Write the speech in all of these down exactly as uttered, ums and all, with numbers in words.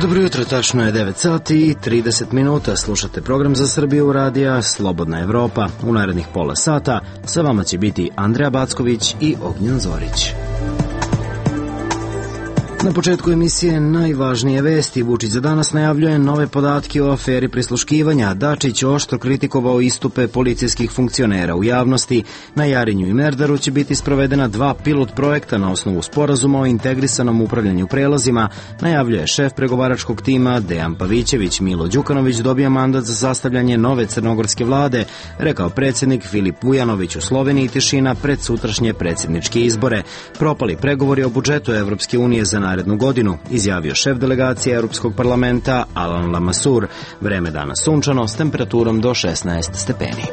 Dobro jutro, tačno je devet sati i trideset minuta. Slušate program za Srbiju radija Slobodna Evropa. U narednih pola sata sa vama će biti Andreja Backović i Ognjen Zorić. Na početku emisije najvažnije vesti. Vučić za danas najavljuje nove podatke o aferi prisluškivanja. Dačić oštro kritikovao istupe policijskih funkcionera u javnosti. Na Jarinju i Merdaru će biti sprovedena dva pilot projekta na osnovu sporazuma o integrisanom upravljanju prelazima, najavljuje šef pregovaračkog tima Dejan Pavićević. Milo Đukanović dobija mandat za sastavljanje nove crnogorske vlade, rekao predsjednik Filip Vujanović. U Sloveniji tišina pred sutrašnje predsjedničke izbore. Propali pregovori o budžetu Evropske unije za narednu godinu, izjavio šef delegacije Europskog parlamenta Alan Lamassur. Vreme danas sunčano s temperaturom do šesnaest stepeni.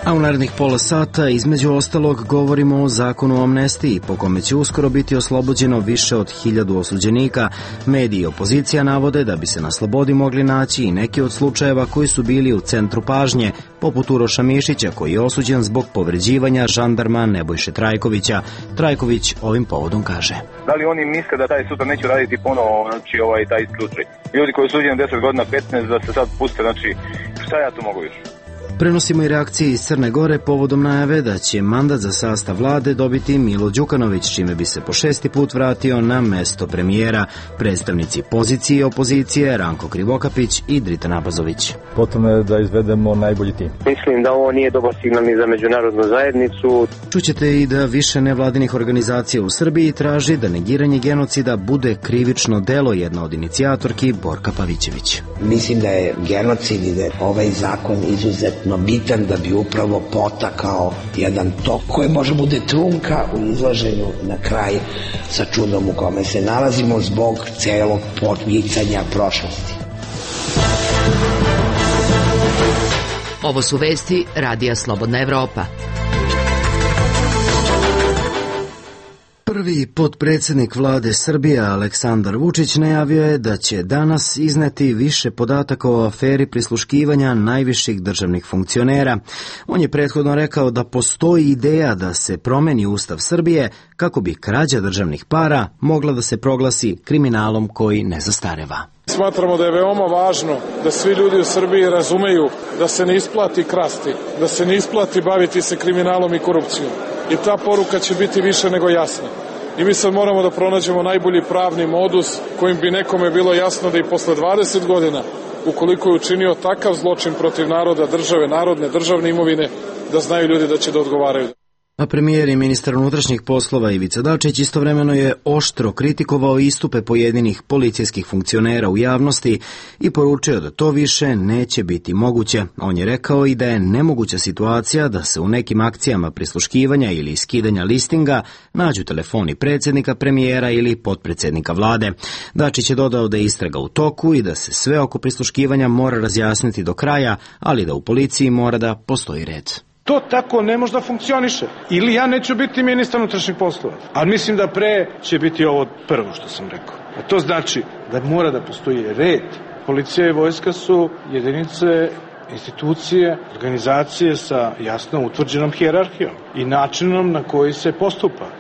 A u narednih pola sata, između ostalog, govorimo o zakonu o amnestiji, po kome će uskoro biti oslobođeno više od hiljadu osuđenika. Mediji i opozicija navode da bi se na slobodi mogli naći i neki od slučajeva koji su bili u centru pažnje, poput Uroša Mišića, koji je osuđen zbog povređivanja žandarma Nebojše Trajkovića. Trajković ovim povodom kaže: Da li oni misle da taj sutra neće raditi ponovo, znači ovaj taj slučaj? Ljudi koji su osuđeni deset godina, petnaest, da se sad puste, znači šta ja tu mogu više? Prenosimo i reakcije iz Crne Gore povodom najave da će mandat za sastav vlade dobiti Milo Đukanović, čime bi se po šesti put vratio na mesto premijera. Predstavnici pozicije i opozicije Ranko Krivokapić i Drita Nabazović. Potrebno je da izvedemo najbolji tim. Mislim da ovo nije dobar signal ni za međunarodnu zajednicu. Čućete i da više nevladinih organizacija u Srbiji traži da negiranje genocida bude krivično delo, jedna od inicijatorki Borka Pavićević. Mislim da je genocid i da je ovaj zakon izuzetno bitan da bi upravo potakao jedan tok koji može bude trunka u izlaženju na kraj sa čudom u kome se nalazimo zbog celog podmicanja prošlosti. Ovo su vesti Radija Slobodna Evropa. Prvi potpredsjednik vlade Srbije Aleksandar Vučić najavio je da će danas izneti više podataka o aferi prisluškivanja najviših državnih funkcionera. On je prethodno rekao da postoji ideja da se promeni Ustav Srbije kako bi krađa državnih para mogla da se proglasi kriminalom koji ne zastareva. Smatramo da je veoma važno da svi ljudi u Srbiji razumeju da se ne isplati krasti, da se ne isplati baviti se kriminalom i korupcijom. I ta poruka će biti više nego jasna. I mi sad moramo da pronađemo najbolji pravni modus kojim bi nekome bilo jasno da i posle dvadeset godina, ukoliko je učinio takav zločin protiv naroda, države, narodne, državne imovine, da znaju ljudi da će da odgovaraju. A premijer i ministar unutrašnjih poslova Ivica Dačić istovremeno je oštro kritikovao istupe pojedinih policijskih funkcionera u javnosti i poručio da to više neće biti moguće. On je rekao i da je nemoguća situacija da se u nekim akcijama prisluškivanja ili skidanja listinga nađu telefoni predsjednika, premijera ili potpredsjednika vlade. Dačić je dodao da je istraga u toku i da se sve oko prisluškivanja mora razjasniti do kraja, ali da u policiji mora da postoji red. To tako ne može da funkcioniše. Ili ja neću biti ministar unutrašnjih poslova. Ali mislim da pre će biti ovo prvo što sam rekao. A to znači da mora da postoji red. Policija i vojska su jedinice, institucije, organizacije sa jasno utvrđenom hijerarhijom i načinom na koji se postupa.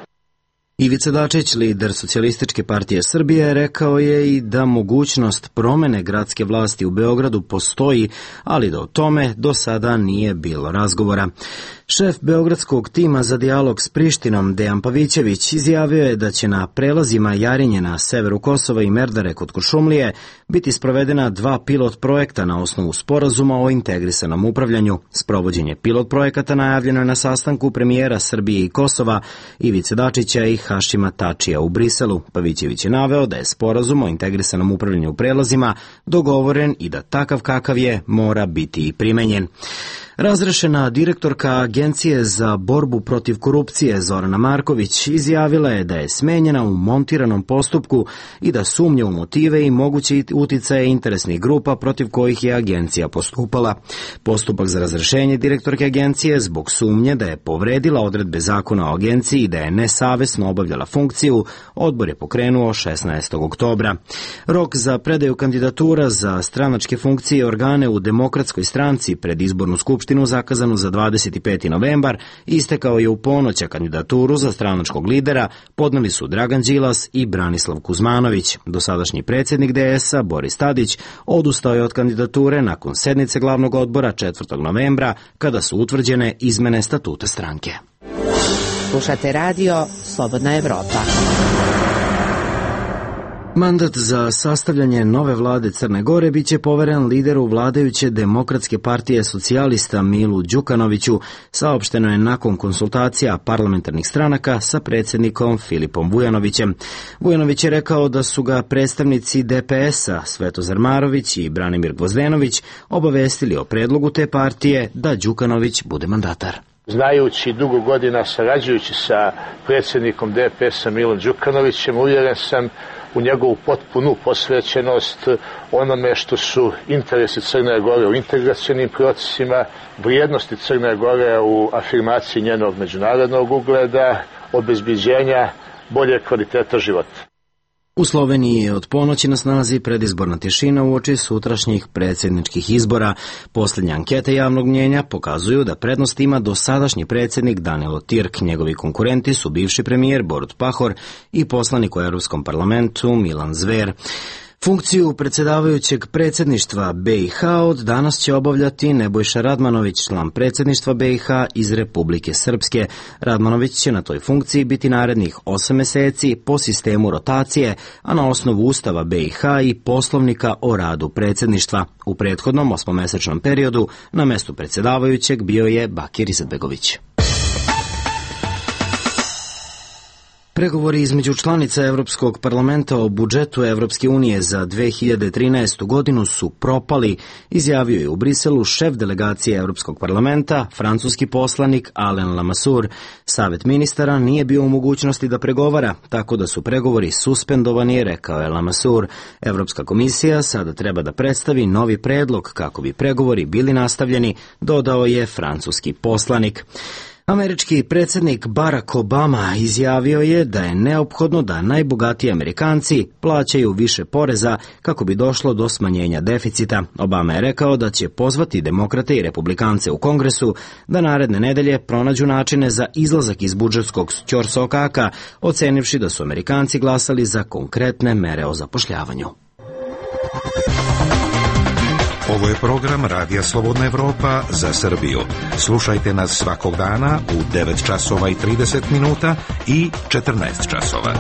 Ivica Dačić, lider Socijalističke partije Srbije, rekao je i da mogućnost promene gradske vlasti u Beogradu postoji, ali da o tome do sada nije bilo razgovora. Šef beogradskog tima za dijalog s Prištinom Dejan Pavićević izjavio je da će na prelazima Jarinje na severu Kosova i Merdare kod Kuršumlije biti sprovedena dva pilot projekta na osnovu sporazuma o integrisanom upravljanju. Sprovođenje pilot projekata najavljeno je na sastanku premijera Srbije i Kosova Ivice Dačića i Hašima Tačija u Briselu. Pavićević je naveo da je sporazum o integrisanom upravljanju u prelazima dogovoren i da takav kakav je mora biti i primenjen. Razrešena direktorka Agencije za borbu protiv korupcije Zorana Marković izjavila je da je smenjena u montiranom postupku i da sumnja u motive i moguće uticaje interesnih grupa protiv kojih je agencija postupala. Postupak za razrešenje direktorke agencije zbog sumnje da je povredila odredbe zakona o agenciji i da je nesavesno obavljala funkciju, odbor je pokrenuo šesnaestog oktobra. Rok za predaju kandidatura za stranačke funkcije i organe u Demokratskoj stranci pred izbornu skupštinu skupštinu zakazanu za dvadeset peti novembar istekao je u ponoć, a kandidaturu za stranačkog lidera podneli su Dragan Đilas i Branislav Kuzmanović. Dosadašnji predsjednik D S-a Boris Tadić odustao je od kandidature nakon sednice glavnog odbora četvrtog novembra kada su utvrđene izmene statuta stranke. Slušate radio Slobodna Evropa. Mandat za sastavljanje nove vlade Crne Gore biće poveren lideru vladajuće Demokratske partije socijalista Milu Đukanoviću, saopšteno je nakon konsultacija parlamentarnih stranaka sa predsjednikom Filipom Vujanovićem. Vujanović je rekao da su ga predstavnici D P S-a Svetozar Marović i Branimir Gvozdenović obavestili o predlogu te partije da Đukanović bude mandatar. Znajući dugo godina, sarađujući sa predsjednikom D P S-a Milom Đukanovićem, uvjeren sam u njegovu potpunu posvećenost onome što su interesi Crne Gore u integracionim procesima, vrijednosti Crne Gore u afirmaciji njenog međunarodnog ugleda, obezbeđenja bolje kvaliteta života. U Sloveniji je od ponoći na snazi predizborna tišina uoči sutrašnjih predsjedničkih izbora. Posljednje ankete javnog mnjenja pokazuju da prednost ima dosadašnji predsjednik Danilo Tirk. Njegovi konkurenti su bivši premijer Borut Pahor i poslanik u Europskom parlamentu Milan Zver. Funkciju predsjedavajućeg predsjedništva B i H od danas će obavljati Nebojša Radmanović, član predsjedništva B i H iz Republike Srpske. Radmanović će na toj funkciji biti narednih osam meseci po sistemu rotacije, a na osnovu Ustava B i H i Poslovnika o radu predsjedništva. U prethodnom osmomesečnom periodu na mestu predsjedavajućeg bio je Bakir Izetbegović. Pregovori između članica Evropskog parlamenta o budžetu Evropske unije za dve hiljade trinaestu godinu su propali, izjavio je u Briselu šef delegacije Evropskog parlamenta, francuski poslanik Alain Lamassoure. Savet ministara nije bio u mogućnosti da pregovara, tako da su pregovori suspendovani, rekao je Lamassoure. Evropska komisija sada treba da predstavi novi predlog kako bi pregovori bili nastavljeni, dodao je francuski poslanik. Američki predsjednik Barack Obama izjavio je da je neophodno da najbogatiji Amerikanci plaćaju više poreza kako bi došlo do smanjenja deficita. Obama je rekao da će pozvati demokrate i republikance u Kongresu da naredne nedelje pronađu načine za izlazak iz budžetskog ćorsokaka, ocenivši da su Amerikanci glasali za konkretne mere o zapošljavanju. Ovo je program Radija Slobodna Evropa za Srbiju. Slušajte nas svakog dana u devet časova i trideset minuta i četrnaest časova.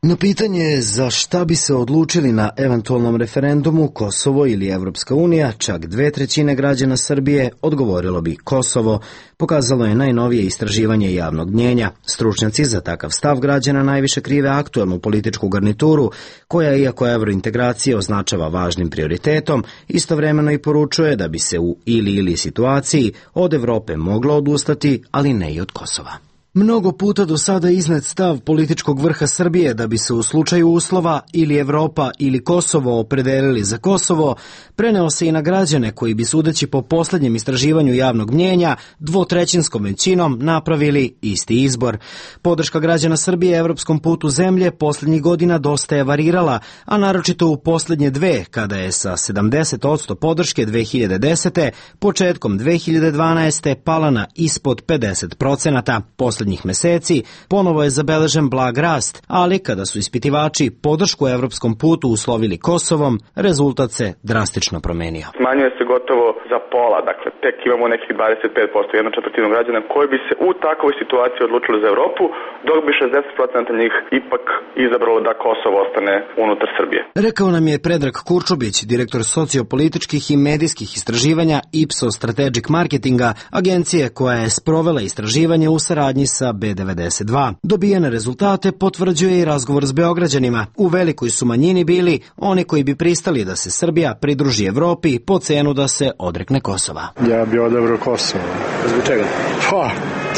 Na pitanje za šta bi se odlučili na eventualnom referendumu Kosovo ili Evropska unija, čak dve trećine građana Srbije odgovorilo bi Kosovo, pokazalo je najnovije istraživanje javnog mnjenja. Stručnjaci za takav stav građana najviše krive aktuelnu političku garnituru, koja, iako evrointegracija označava važnim prioritetom, istovremeno i poručuje da bi se u ili-ili situaciji od Evrope moglo odustati, ali ne i od Kosova. Mnogo puta do sada iznet stav političkog vrha Srbije da bi se u slučaju uslova ili Evropa ili Kosovo opredelili za Kosovo, preneo se i na građane koji bi, sudeći po posljednjem istraživanju javnog mnjenja, dvotrećinskom većinom napravili isti izbor. Podrška građana Srbije evropskom putu zemlje posljednjih godina dosta je varirala, a naročito u posljednje dve, kada je sa sedamdeset posto podrške dve hiljade desete početkom dve hiljade dvanaeste pala na ispod pedeset procenata. Posljednjih meseci ponovo je zabeležen blag rast, ali kada su ispitivači podršku evropskom putu uslovili Kosovom, rezultat se drastično promenio. Smanjuje se gotovo za pola, dakle tek imamo nekih dvadeset pet posto, jedna četvrtina građana koji bi se u takvoj situaciji odlučili za Evropu, dok bi šezdeset posto njih ipak izabralo da Kosovo ostane unutar Srbije. Rekao nam je Predrag Kurčubić, direktor sociopolitičkih i medijskih istraživanja Ipsos Strategic Marketinga, agencije koja je sprovela istraživanje u saradnji sa B devedeset dva. Dobijene rezultate potvrđuje i razgovor s Beograđanima. U velikoj su manjini bili oni koji bi pristali da se Srbija pridruži Evropi po cenu da se odrekne Kosova. Ja bi odabrao Kosovo. Zbog čega? Pa,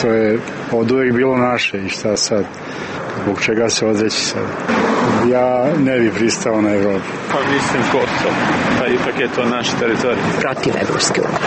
to je od uvijek bilo naše i šta sad? Zbog čega se odreći sad? Ja ne bi pristao na Evropu. Pa mislim Kosovo, pa ipak je to naš teritorij. Protiv Evropske unije.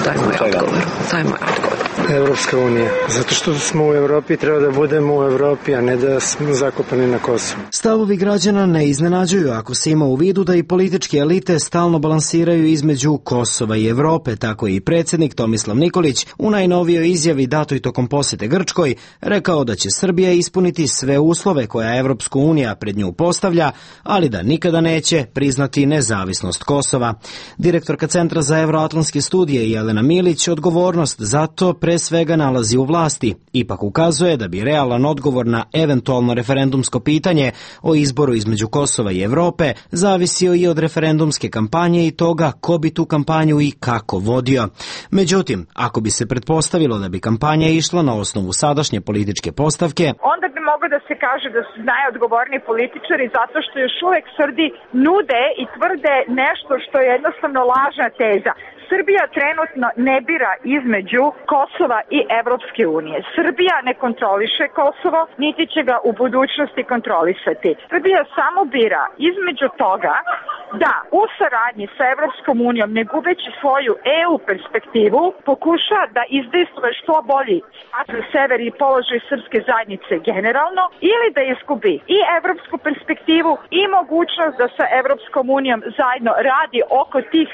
To je moj odgovor. To je moj odgovor. Evropska unija. Zato što smo u Evropi, treba da budemo u Evropi, a ne da smo zakopani na Kosovu. Stavovi građana ne iznenađuju ako se ima u vidu da i političke elite stalno balansiraju između Kosova i Evrope. Tako je i predsjednik Tomislav Nikolić u najnovijoj izjavi datoj tokom posete Grčkoj rekao da će Srbija ispuniti sve uslove koja Evropska unija pred nju postavlja, ali da nikada neće priznati nezavisnost Kosova. Direktorka Centra za evroatlantske studije Jelena Milić odgovornost za to pre svega nalazi u vlasti. Ipak ukazuje da bi realan odgovor na eventualno referendumsko pitanje o izboru između Kosova i Evrope zavisio i od referendumske kampanje i toga ko bi tu kampanju i kako vodio. Međutim, ako bi se pretpostavilo da bi kampanja išla na osnovu sadašnje političke postavke, onda bi moglo da se kaže da su najodgovorniji političari zato što još uvek Srbi nude i tvrde nešto što je jednostavno lažna teza. Srbija trenutno ne bira između Kosova i Evropske unije. Srbija ne kontroliše Kosovo, niti će ga u budućnosti kontrolisati. Srbija samo bira između toga da u saradnji sa Evropskom unijom, ne gubeći svoju E U perspektivu, pokuša da izdejstvuje što bolji status sever i položaj srpske zajednice generalno, ili da izgubi i evropsku perspektivu i mogućnost da sa Evropskom unijom zajedno radi oko tih,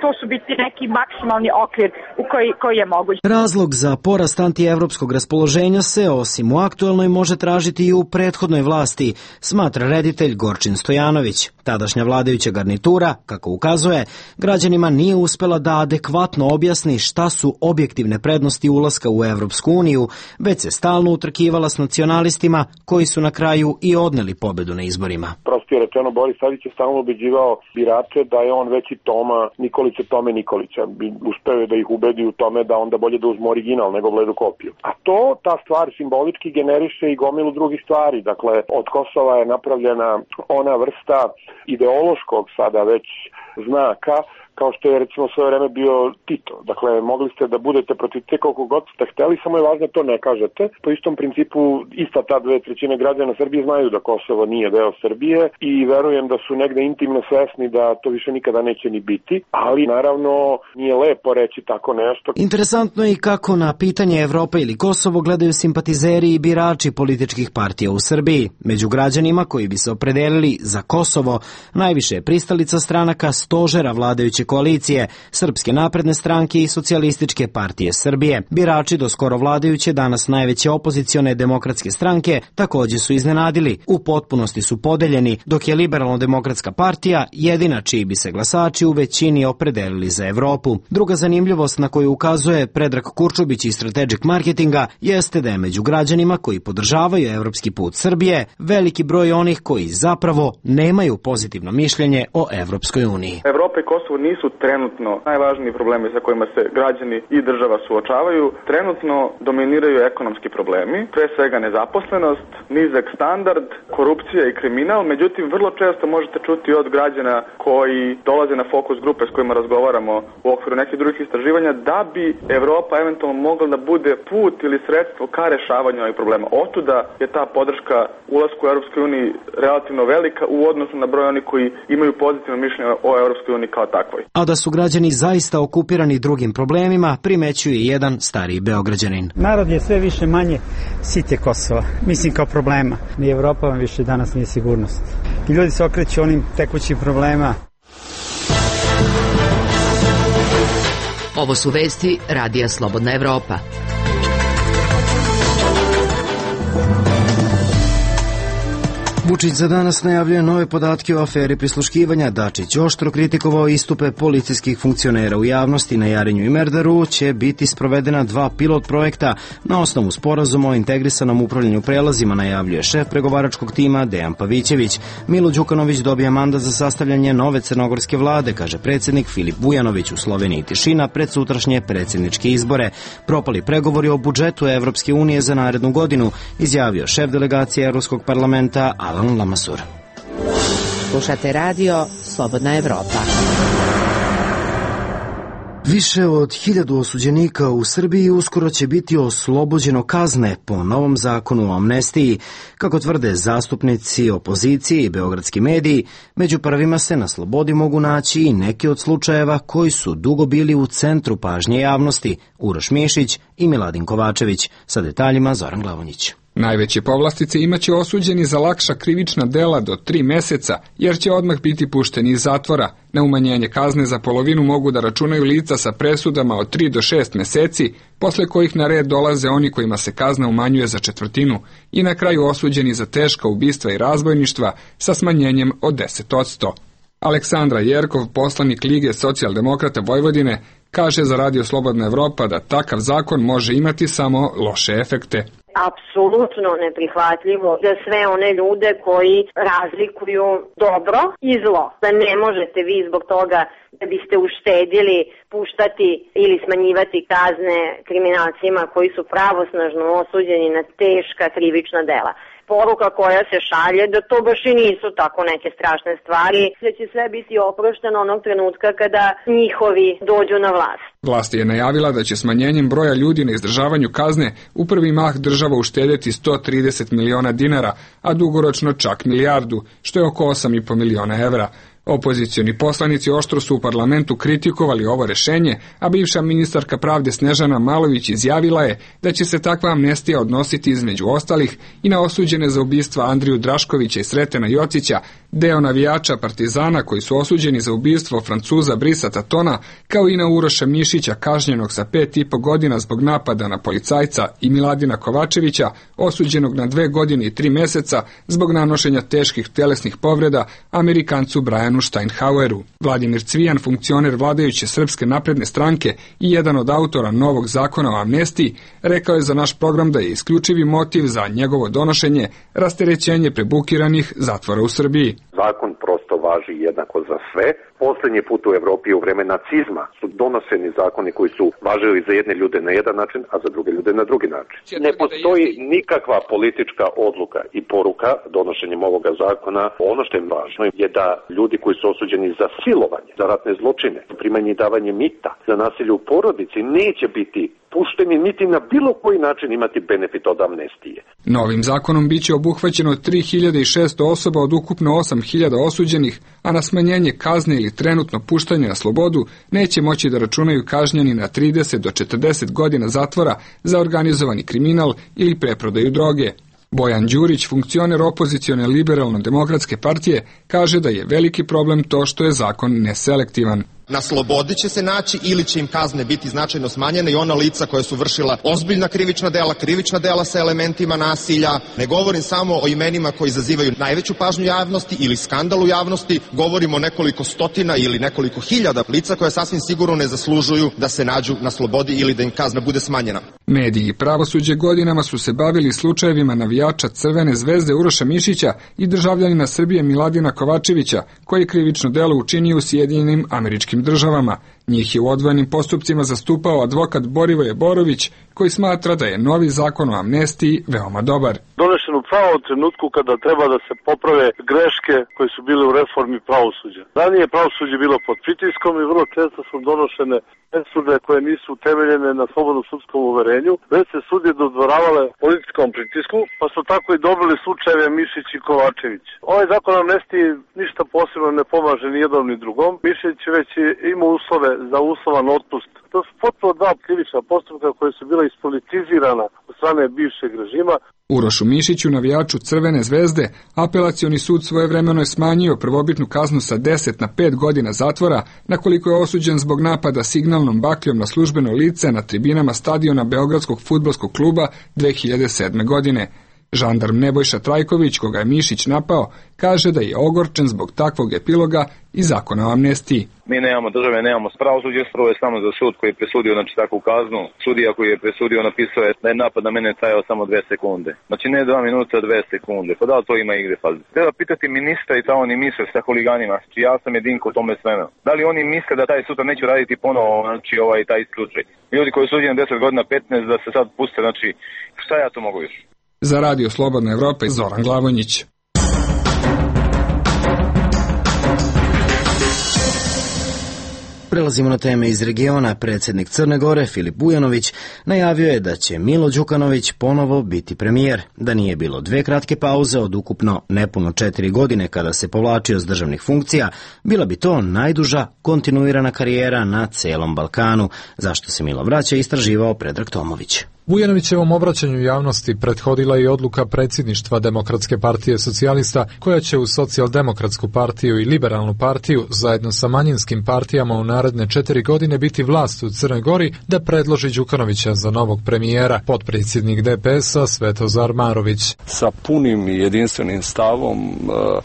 to su biti neki maksimalni okvir u koji, koji je moguć. Razlog za porast antievropskog raspoloženja se osim u aktuelnoj može tražiti i u prethodnoj vlasti, smatra reditelj Gorčin Stojanović. Tadašnja vladajuća garnitura, kako ukazuje, građanima nije uspela da adekvatno objasni šta su objektivne prednosti ulaska u Evropsku uniju, već se stalno utrkivala s nacionalistima koji su na kraju i odneli pobedu na izborima. Prosto je rečeno, Boris Tadić je stalno ubeđivao birače da je on veći Toma Nikolića Tome Nikolića. Uspeo je da ih ubedi u tome da onda bolje da uzmu original nego bledu kopiju. A to, ta stvar simbolički generiše i gomilu drugih stvari. Dakle, od Kosova je napravljena ona vrsta ideološkog sada već znaka, kao što je recimo svoje vreme bio Tito. Dakle, mogli ste da budete protiv te koliko god ste hteli, samo je važno to ne kažete. Po istom principu, ista ta dve trećine građana Srbije znaju da Kosovo nije deo Srbije i verujem da su negde intimno svesni da to više nikada neće ni biti, ali naravno nije lepo reći tako nešto. Interesantno je i kako na pitanje Evrope ili Kosovo gledaju simpatizeri i birači političkih partija u Srbiji. Među građanima koji bi se opredelili za Kosovo, najviše je pristalica stranaka stožera vladajuće koalicije, Srpske napredne stranke i Socijalističke partije Srbije. Birači do skoro vladajuće, danas najveće opozicione demokratske stranke, također su iznenadili. U potpunosti su podeljeni, dok je Liberalno-demokratska partija jedina čiji bi se glasači u većini opredelili za Evropu. Druga zanimljivost na koju ukazuje Predrag Kurčubić iz Strategic Marketinga jeste da je među građanima koji podržavaju evropski put Srbije veliki broj onih koji zapravo nemaju pozitivno mišljenje o Evropskoj uniji. Evropa i Kosovo nisu trenutno najvažniji problemi sa kojima se građani i država suočavaju. Trenutno dominiraju ekonomski problemi, pre svega nezaposlenost, nizak standard, korupcija i kriminal. Međutim, vrlo često možete čuti od građana koji dolaze na fokus grupe s kojima razgovaramo u okviru nekih drugih istraživanja da bi Evropa eventualno mogla da bude put ili sredstvo ka rešavanju ovih problema. Otuda je ta podrška ulasku u Europskoj uniji relativno velika u odnosu na broj onih koji imaju pozitivno mišljenje o Europskoj uniji kao takvoj. A da su građani zaista okupirani drugim problemima, primećuje jedan stariji Beograđanin. Narod je sve više manje site Kosova, mislim kao problema. Ni Evropa vam više danas nije sigurnost. I ljudi se okreću onim tekućim problema. Ovo su vesti Radija Slobodna Evropa. Vučić za danas najavljuje nove podatke o aferi prisluškivanja. Dačić oštro kritikovao istupe policijskih funkcionera u javnosti. Na Jarinju i Merdaru će biti sprovedena dva pilot projekta na osnovu sporazuma o integrisanom upravljanju prelazima, najavljuje šef pregovaračkog tima Dejan Pavićević. Milo Đukanović dobija mandat za sastavljanje nove crnogorske vlade, kaže predsjednik Filip Vujanović. U Sloveniji tišina pred sutrašnje predsjedničke izbore. Propali pregovori o budžetu Evropske unije za narednu godinu, izjavio šef delegacije Evropskog parlamenta Alan Lamassur. Slušate radio Slobodna Evropa. Više od hiljadu osuđenika u Srbiji uskoro će biti oslobođeno kazne po novom zakonu o amnestiji. Kako tvrde zastupnici opozicije i beogradski mediji, među prvima se na slobodi mogu naći i neki od slučajeva koji su dugo bili u centru pažnje javnosti, Uroš Mišić i Miladin Kovačević. Sa detaljima Zoran Glavonjić. Najveće povlastice imaće osuđeni za lakša krivična dela do tri meseca, jer će odmah biti pušteni iz zatvora. Na umanjenje kazne za polovinu mogu da računaju lica sa presudama od tri do šest meseci, posle kojih na red dolaze oni kojima se kazna umanjuje za četvrtinu i na kraju osuđeni za teška ubistva i razbojništva sa smanjenjem od deset posto. Aleksandra Jerkov, poslanik Lige socijaldemokrata Vojvodine, kaže za Radio Slobodna Evropa da takav zakon može imati samo loše efekte. Apsolutno neprihvatljivo za sve one ljude koji razlikuju dobro i zlo. Da ne možete vi zbog toga da biste uštedili puštati ili smanjivati kazne kriminalcima koji su pravosnažno osuđeni na teška krivična dela. Poruka koja se šalje da to baš i nisu tako neke strašne stvari, da će sve biti oprošteno onog trenutka kada njihovi dođu na vlast. Vlast je najavila da će smanjenjem broja ljudi na izdržavanju kazne u prvi mah država uštedeti sto trideset miliona dinara, a dugoročno čak milijardu, što je oko osam i po miliona evra. Opozicioni poslanici oštro su u parlamentu kritikovali ovo rešenje, a bivša ministarka pravde Snežana Malović izjavila je da će se takva amnestija odnositi između ostalih i na osuđene za ubistva Andriju Draškovića i Sretena Jocića, deo navijača Partizana koji su osuđeni za ubistvo Francuza Brisa Tatona, kao i na Uroša Mišića kažnjenog sa pet i po godina zbog napada na policajca i Miladina Kovačevića, osuđenog na dve godine i tri meseca zbog nanošenja teških telesnih povreda Amerikancu Brianu Steinhaueru. Vladimir Cvijan, funkcioner vladajuće Srpske napredne stranke i jedan od autora novog zakona o amnestiji, rekao je za naš program da je isključivi motiv za njegovo donošenje rasterećenje prebukiranih zatvora u Srbiji. Zakon prosto važi jednako za sve. Poslednji put u Evropi u vreme nacizma su donošeni zakoni koji su važili za jedne ljude na jedan način, a za druge ljude na drugi način. Ne postoji nikakva politička odluka i poruka donošenjem ovoga zakona. Ono što je važno je da ljudi koji su osuđeni za silovanje, za ratne zločine, primanje i davanje mita, za nasilje u porodici neće biti pušteni niti na bilo koji način imati benefit od amnestije. Novim zakonom biće obuhvaćeno tri hiljade šesto osoba od ukupno osam hiljada osuđenih, a na smanjenje kazne ili trenutno puštanje na slobodu neće moći da računaju kažnjeni na trideset do četrdeset godina zatvora za organizovani kriminal ili preprodaju droge. Bojan Đurić, funkcioner opozicione liberalno-demokratske partije, kaže da je veliki problem to što je zakon neselektivan. Na slobodi će se naći ili će im kazne biti značajno smanjene i ona lica koja su vršila ozbiljna krivična dela, krivična dela sa elementima nasilja. Ne govorim samo o imenima koji izazivaju najveću pažnju javnosti ili skandal u javnosti, govorimo o nekoliko stotina ili nekoliko hiljada lica koja sasvim sigurno ne zaslužuju da se nađu na slobodi ili da im kazna bude smanjena. Mediji i pravosuđe godinama su se bavili slučajevima navijača Crvene zvezde Uroša Mišića i državljanina Srbije Miladina Kovačevića, koji je krivično delo učinio u Sjedinjenim Američkim Državama. Njih je u odvojenim postupcima zastupao advokat Borivoje Borović, koji smatra da je novi zakon o amnestiji veoma dobar. Donešen u pravom trenutku kada treba da se poprave greške koje su bile u reformi pravosuđa. Ranije pravosuđe bilo pod pritiskom i vrlo često su donošene presude koje nisu utemeljene na slobodnom sudskom uverenju, već se sudije dodvoravale političkom pritisku, pa su tako i dobili slučajeve Mišić i Kovačević. Ovaj zakon o amnestiji ništa posebno ne pomaže ni jednom ni drugom. Mišić već ima uslove za uslovan otpust. To su potpuno dva krivična postupka koje su bila ispolitizirana od strane bivšeg režima. Urošu Mišiću, navijaču Crvene zvezde, apelacioni sud svojevremeno je smanjio prvobitnu kaznu sa deset na pet godina zatvora, nakoliko je osuđen zbog napada signalnom bakljom na službeno lice na tribinama stadiona Beogradskog fudbalskog kluba dve hiljade sedme. godine. Žandarm Nebojša Trajković, koga je Mišić napao, kaže da je ogorčen zbog takvog epiloga i zakona o amnestiji. Mi nemamo države, nemamo pravosuđe, prvo je samo za sud koji je presudio znači takvu kaznu. Sudija koji je presudio napisao je da je napad na mene trajao samo dve sekunde. Znači ne dva minuta, dve sekunde. Pa da li to ima igre fazi? Treba pitati ministra i ta oni misle sa huliganima. Znači ja sam jedinko u tome sveme. Da li oni misle da taj sutra neću raditi ponovo, znači ovaj taj slučaj? Ljudi koji su suđeni deset godina, petnaest, da se sad puste, znači šta ja to mogu još? Za Radio Slobodna Evropa i Zoran Glavonjić. Prelazimo na teme iz regiona. Predsjednik Crne Gore, Filip Bujanović, najavio je da će Milo Đukanović ponovo biti premijer. Da nije bilo dve kratke pauze od ukupno nepuno četiri godine kada se povlačio s državnih funkcija, bila bi to najduža kontinuirana karijera na celom Balkanu, zašto se Milo vraća, istraživao Predrag Tomović. Bujanovićevom obraćanju javnosti prethodila i odluka predsjedništva Demokratske partije socijalista, koja će u Socijaldemokratsku partiju i Liberalnu partiju zajedno sa manjinskim partijama u naredne četiri godine biti vlast u Crnoj Gori, da predloži Đukanovića za novog premijera. Potpredsjednik D P S-a Svetozar Marović. Sa punim i jedinstvenim stavom uh,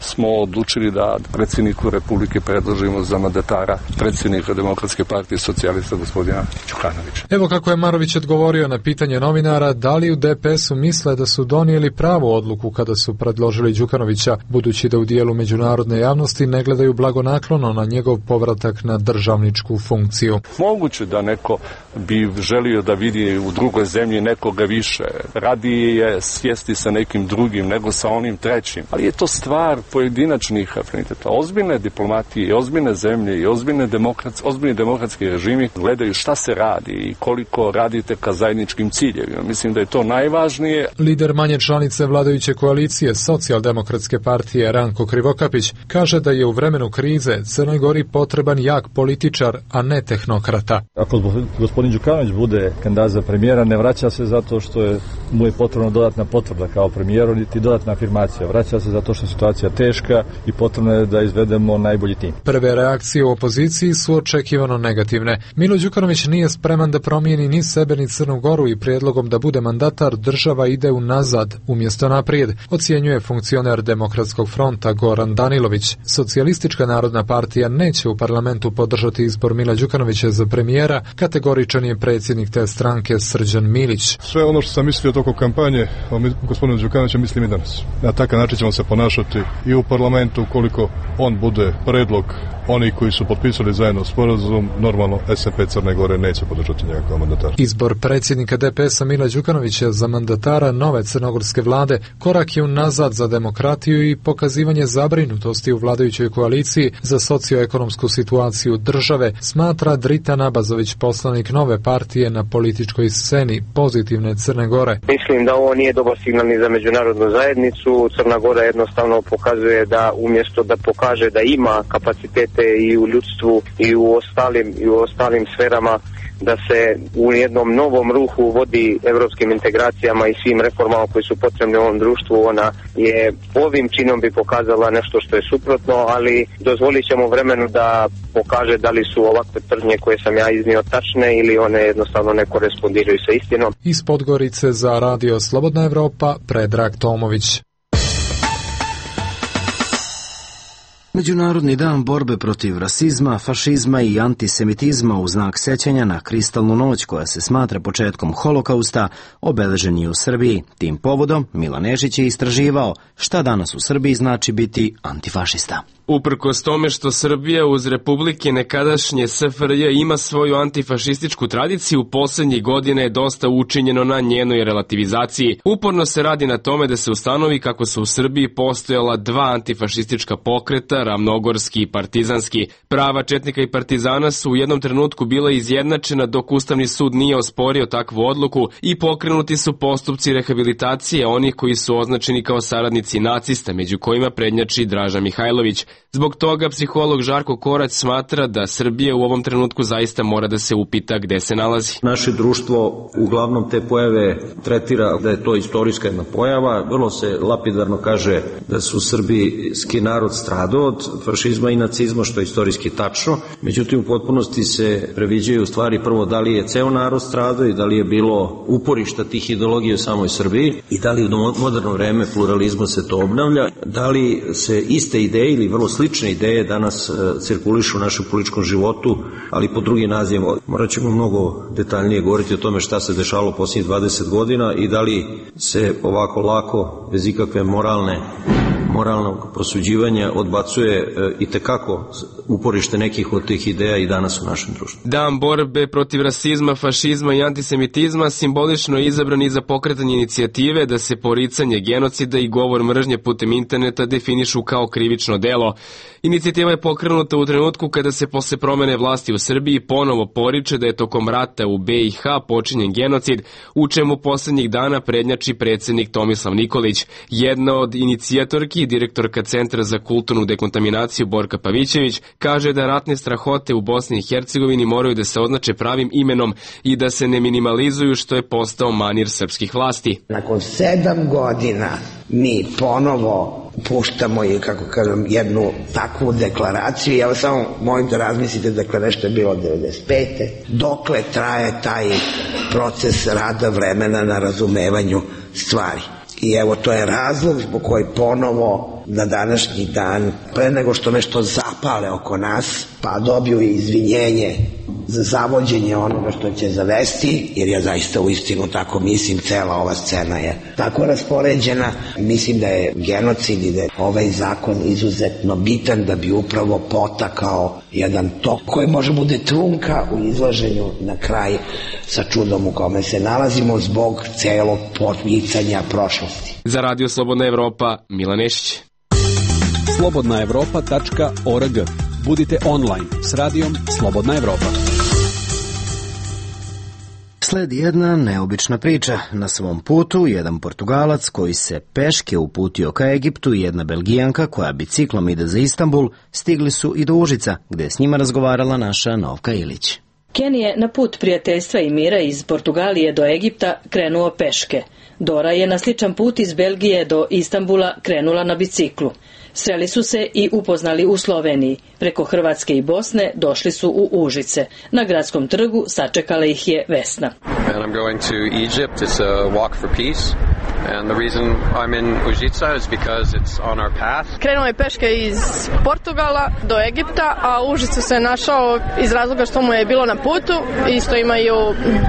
smo odlučili da predsjedniku Republike predložimo za mandatara predsjednika Demokratske partije socijalista gospodina Đukanovića. Evo kako je Marović odgovorio na pitanje novinara da li u D P S-u misle da su donijeli pravu odluku kada su predložili Đukanovića, budući da u dijelu međunarodne javnosti ne gledaju blagonaklono na njegov povratak na državničku funkciju. Moguće da neko bi želio da vidi u drugoj zemlji nekoga više. Radije je sjesti sa nekim drugim nego sa onim trećim. Ali je to stvar pojedinačnih afiniteta. Ozbiljne diplomatije i ozbiljne zemlje i ozbiljne demokratski, ozbiljni demokratski režimi gledaju šta se radi i koliko radite ka zajedničkim ciljevima. Mislim da je to najvažnije. Lider manje članice vladajuće koalicije Socijaldemokratske partije Ranko Krivokapić kaže da je u vremenu krize Crnoj Gori potreban jak političar, a ne tehnokrata. Ako gospodin Đukanović bude kandidat za premijera, ne vraća se zato što je, mu je potrebna dodatna potvrda kao premijeru, niti dodatna afirmacija. Vraća se zato što je situacija teška i potrebno je da izvedemo najbolji tim. Prve reakcije u opoziciji su očekivano negativne. Milo Đukanović nije spreman da promijeni ni sebe ni Crnu Goru i prijedlogom da bude mandatar država ide unazad umjesto naprijed, ocjenjuje funkcioner Demokratskog fronta Goran Danilović. Socijalistička narodna partija neće u parlamentu podržati izbor Mila Đukanovića za premijera, kategoričan je predsjednik te stranke Srđan Milić. Sve ono što sam mislio toko kampanje o gospodinu Đukanoviću mislim i danas. Na takav način ćemo se ponašati i u parlamentu ukoliko on bude predlog oni koji su potpisali zajedno sporazum, normalno S N P Crne Gore neće podržati njega kao mandatar. Izbor predsjednika D P S-a Mila Đukanovića za mandatara nove crnogorske vlade korak je unazad za demokratiju i pokazivanje zabrinutosti u vladajućoj koaliciji za socioekonomsku situaciju države, smatra Drita Nabazović, poslanik nove partije na političkoj sceni Pozitivne Crne Gore. Mislim da ovo nije dobar signal ni za međunarodnu zajednicu. Crna Gora jednostavno pokazuje da umjesto da pokaže da ima kapacitete i u ljudstvu i u ostalim, i u ostalim sferama, da se u jednom novom ruhu vodi evropskim integracijama i svim reformama koji su potrebne u ovom društvu. Ona je ovim činom bi pokazala nešto što je suprotno, ali dozvolit ćemo vremenu da pokaže da li su ovakve tvrdnje koje sam ja iznio tačne ili one jednostavno ne korespondiraju sa istinom. Iz Podgorice za Radio Slobodna Evropa, Predrag Tomović. Međunarodni dan borbe protiv rasizma, fašizma i antisemitizma u znak sećanja na kristalnu noć koja se smatra početkom holokausta obeležen je u Srbiji. Tim povodom Milan Nešić je istraživao šta danas u Srbiji znači biti antifašista. Uprkos tome što Srbija uz republike nekadašnje S F R J ima svoju antifašističku tradiciju, posljednjih godina je dosta učinjeno na njenoj relativizaciji. Uporno se radi na tome da se ustanovi kako su u Srbiji postojala dva antifašistička pokreta, ravnogorski i partizanski. Prava četnika i partizana su u jednom trenutku bila izjednačena dok Ustavni sud nije osporio takvu odluku i pokrenuti su postupci rehabilitacije onih koji su označeni kao saradnici nacista, među kojima prednjači Draža Mihajlović. Zbog toga psiholog Žarko Korać smatra da Srbija u ovom trenutku zaista mora da se upita gde se nalazi. Naše društvo uglavnom te pojave tretira da je to istorijska jedna pojava. Vrlo se lapidarno kaže da su srbijski narod stradao od fašizma i nacizma, što je istorijski tačno. Međutim, u potpunosti se previđaju stvari prvo da li je ceo narod stradao i da li je bilo uporišta tih ideologija u samoj Srbiji i da li u moderno vreme pluralizma se to obnavlja, da li se iste ideje ili vrlo slične ideje danas cirkulišu u našem političkom životu, ali pod drugim nazivima. Morat ćemo mnogo detaljnije govoriti o tome šta se dešavalo posljednjih dvadeset godina i da li se ovako lako, bez ikakve moralne moralnog prosuđivanja odbacuje i tekako uporište nekih od tih ideja i danas u našem društvu. Dan borbe protiv rasizma, fašizma i antisemitizma simbolično je izabran i za pokretanje inicijative da se poricanje genocida i govor mržnje putem interneta definišu kao krivično delo. Inicijativa je pokrenuta u trenutku kada se posle promene vlasti u Srbiji ponovo poriče da je tokom rata u be i ha počinjen genocid, u čemu poslednjih dana prednjači predsednik Tomislav Nikolić. Jedna od inicijatorki, direktorka Centra za kulturnu dekontaminaciju Borka Pavićević, kaže da ratne strahote u Bosni i Hercegovini moraju da se označe pravim imenom i da se ne minimalizuju, što je postao manir srpskih vlasti. Nakon sedam godina mi ponovo puštamo i, kako kažem, jednu takvu deklaraciju. Ja vas samo molim da razmislite, dakle, nešto je bilo devedeset pete Dokle traje taj proces rada vremena na razumevanju stvari. I evo, to je razlog zbog koji ponovo na današnji dan, pre nego što nešto zapale oko nas, pa dobiju i izvinjenje za zavođenje onoga što će zavesti, jer ja zaista u istinu tako mislim, cela ova scena je tako raspoređena. Mislim da je genocid i da je ovaj zakon izuzetno bitan da bi upravo potakao jedan tok koji može bude trunka u izlaženju na kraj sa čudom u kome se nalazimo zbog celog pomicanja prošlosti. Za Radio Slobodna Evropa, Milan Nešić. slobodna evropa tačka org. Budite online s radijom Slobodna Evropa. Sledi jedna neobična priča. Na svom putu jedan Portugalac koji se peške uputio ka Egiptu i jedna Belgijanka koja biciklom ide za Istanbul stigli su i do Užica, gde je s njima razgovarala naša Novka Ilić. Ken je na put prijateljstva i mira iz Portugalije do Egipta krenuo peške. Dora je na sličan put iz Belgije do Istanbula krenula na biciklu. Sreli su se i upoznali u Sloveniji. Preko Hrvatske i Bosne došli su u Užice. Na gradskom trgu sačekala ih je Vesna. And I'm going to Egypt. It's a walk for peace. And the reason I'm in Užica is because it's on our path. Krenuo je peške iz Portugala do Egipta, a u Užicu se našao iz razloga što mu je bilo na putu. Isto imaju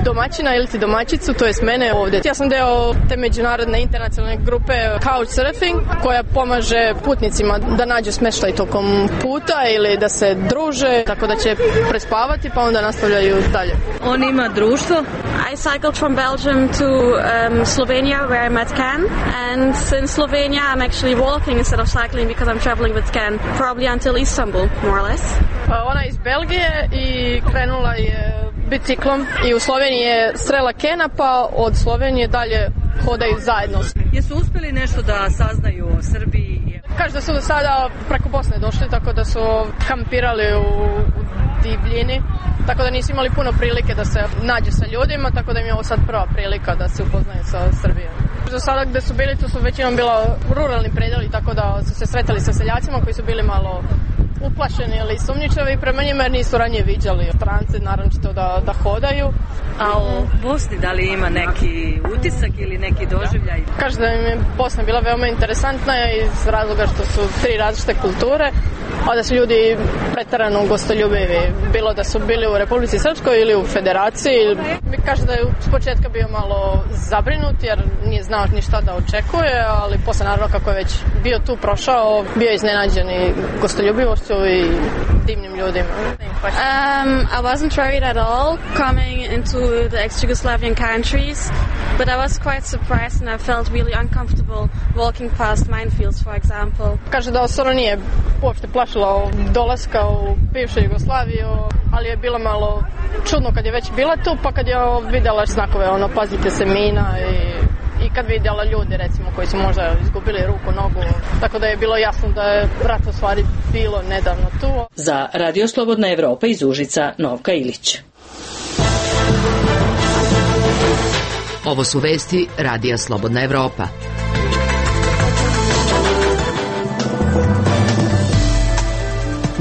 domaćina ili ti domaćicu, to jest mene ovdje. Ja sam deo te međunarodne internacionalne grupe Couchsurfing, koja pomaže putnicima da nađu smeštaj tokom puta ili da se druže, tako da će prespavati pa onda nastavljaju dalje. On ima društvo. I cycled from Belgium to um, Slovenia where I met Ken, and in Slovenia I'm actually walking instead of cycling because I'm traveling with Ken probably until Istanbul, more or less. Ona je iz Belgije i krenula je biciklom i u Sloveniji je srela Kena, pa od Slovenije dalje hodaju zajedno. Jesu uspeli nešto da saznaju o Srbiji? Kaže da su do sada preko Bosne došli, tako da su kampirali u, u divljini, tako da nisu imali puno prilike da se nađu sa ljudima, tako da im je ovo sad prva prilika da se upoznaju sa Srbijom. Do sada gde su bili, to su većinom bila ruralni predeli, tako da su se sretali sa seljacima koji su bili malo uplašeni ili sumnjičavi prema njima jer nisu ranije viđali strance, naročito da, da hodaju. A u Bosni da li ima neki utisak ili neki doživljaj? Da. Kaže da im je Bosna bila veoma interesantna iz razloga što su tri različite kulture, a da su ljudi pretarano gostoljubivi, bilo da su bili u Republici Srpskoj ili u Federaciji. Kaže da je s početka bio malo zabrinut jer nije znao ni šta da očekuje, ali posle naravno kako je već bio tu prošao, bio je iznenađen i gostoljubivošću i divnim ljudima. Um, I wasn't worried at all coming into the ex-Yugoslavian countries, but I was quite surprised and I felt really uncomfortable walking past minefields, for example. Kaže da se ona nije uopšte plašila dolaska u bivšu Jugoslaviju, ali je bilo malo čudno kad je već bila tu, pa kad je videla znakove, ono, pazite se mina i i kad vidjela ljudi recimo koji su možda izgubili ruku, nogu, tako da je bilo jasno da je rat u stvari bilo nedavno tu. Za Radio Slobodna Evropa iz Užica, Novka Ilić. Ovo su vesti Radija Slobodna Evropa.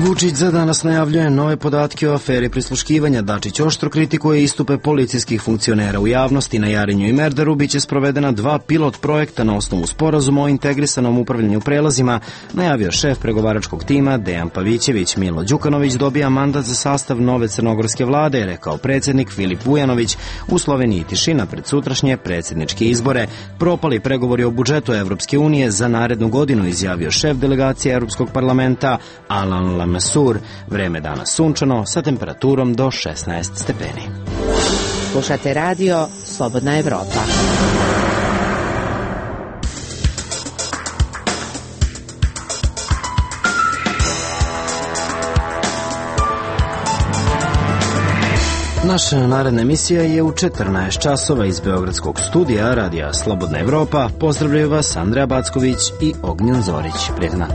Vučić za danas najavljuje nove podatke o aferi prisluškivanja. Dačić oštro kritikuje istupe policijskih funkcionera u javnosti. Na Jarinju i Merdaru biće sprovedena dva pilot projekta na osnovu sporazuma o integrisanom upravljanju prelazima, najavio šef pregovaračkog tima Dejan Pavićević. Milo Đukanović dobija mandat za sastav nove crnogorske vlade, rekao predsjednik Filip Vujanović. U Sloveniji tišina pred sutrašnje predsjedničke izbore. Propali pregovori o budžetu Evropske unije za narednu godinu, izjavio šef delegacije Europskog parlamenta Alan Lamassur. Vreme danas sunčano sa temperaturom do šesnaest stepeni. Slušate radio Slobodna Evropa. Naša naredna emisija je u četrnaest časova iz Beogradskog studija radija Slobodna Evropa. Pozdravljaju vas Andreja Backović i Ognjen Zorić. Prijetna.